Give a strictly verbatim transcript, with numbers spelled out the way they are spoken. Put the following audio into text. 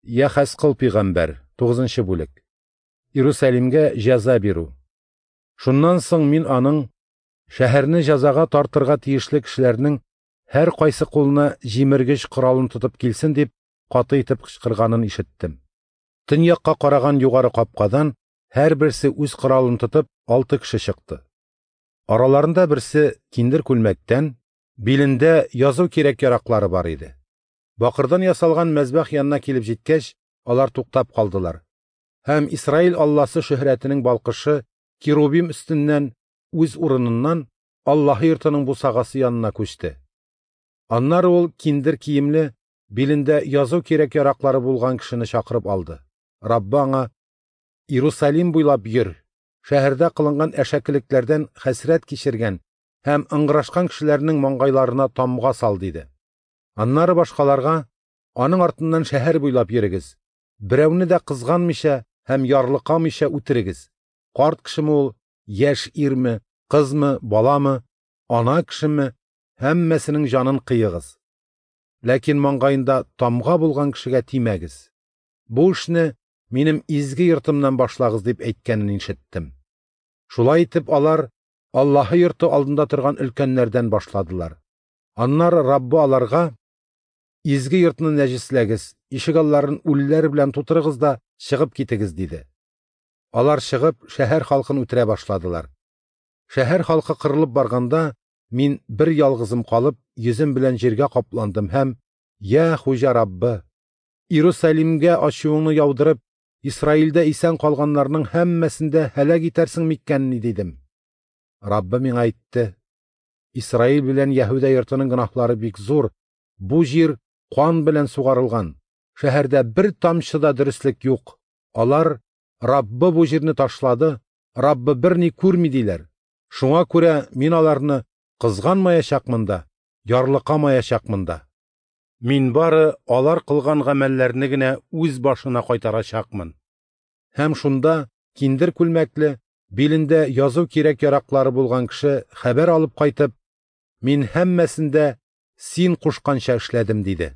Йәхәзкыл пәйгамбәр, тугызынчы бүлек. Иерусалимгә җәза бирү. Шуннан соң мин аның шәһәрне җәзага тартырга тиешле кешеләрнең һәркайсы кулына җимергеч коралын тотып килсен дип каты итеп кычкырганын ишеттем. Төньякка караган югары капкадан һәрберсе үз коралын тотып алты кеше чыкты. Араларында берсе киндер күлмәктән, билендә язу кирәк-яраклары бар иде. Бакырдан ясалган мәзбәх янына килеп җиткәч, алар туктап калдылар. Һәм Исраил Алласы шөһрәтенең балкышы керубим өстеннән үз урыныннан Аллаһы йортының бусагасы янына күчте. Аннары ул киндер киемле, билендә язу кирәк-яраклары булган кешене чакырып алды. Раббы аңа: "Иерусалим буйлап йөр, шәһәрдә кылынган әшәкелекләрдән хәсрәт кичергән һәм ыңгырашкан кешеләрнең маңгайларына тамга сал", диде. Аннары башкаларга: "Аның артыннан шәһәр буйлап йөрегез, берәүне дә кызганмыйча һәм ярлыкамыйча үтерегез. Карт кешеме ул, яшь ирме, кызмы, баламы, ана кешеме, һәммәсенең җанын кыегыз. Ләкин маңгаенда тамга булган кешегә тимәгез. Бу эшне минем изге йортымнан башлагыз", дип әйткәнен ишеттем. Шулай итеп алар Аллаһы йорты алдында торган өлкәннәрдән башладылар. Аннары Раббы аларга: "Изге йортны нәҗесләгез, ишегалларын үлеләр белән тутырыгыз да чыгып китегез", диде. Алар чыгып шәһәр халкын үтерә башладылар. Шәһәр халкы кырылып барганда, мин бер ялгызым калып, йөзем белән җиргә капландым һәм: "Я Хуҗа Раббы, Иерусалимгә ачуыңны яудырып, Исраилдә исән калганнарның һәммәсен дә һәлак итәрсең микәнни?" дидем. Раббы миңа әйтте: "Исраил белән Яһүдә йортының гөнаһлары бик зур, бу җир кан белән сугарылган, шәһәрдә бер тамчы да дөреслек юк. Алар: Раббы бу җирне ташлады, Раббы берни күрми диләр. Шуңа күрә мин аларны кызганмаячакмын да, ярлыкамаячакмын да. Мин бары алар кылган гамәлләрне генә үз башына кайтарачакмын". Һәм шунда киндер күлмәкле, билендә язу кирәк-яраклары булган кеше хәбәр алып кайтып: "Мин һәммәсен дә син кушканча эшләдем", диде.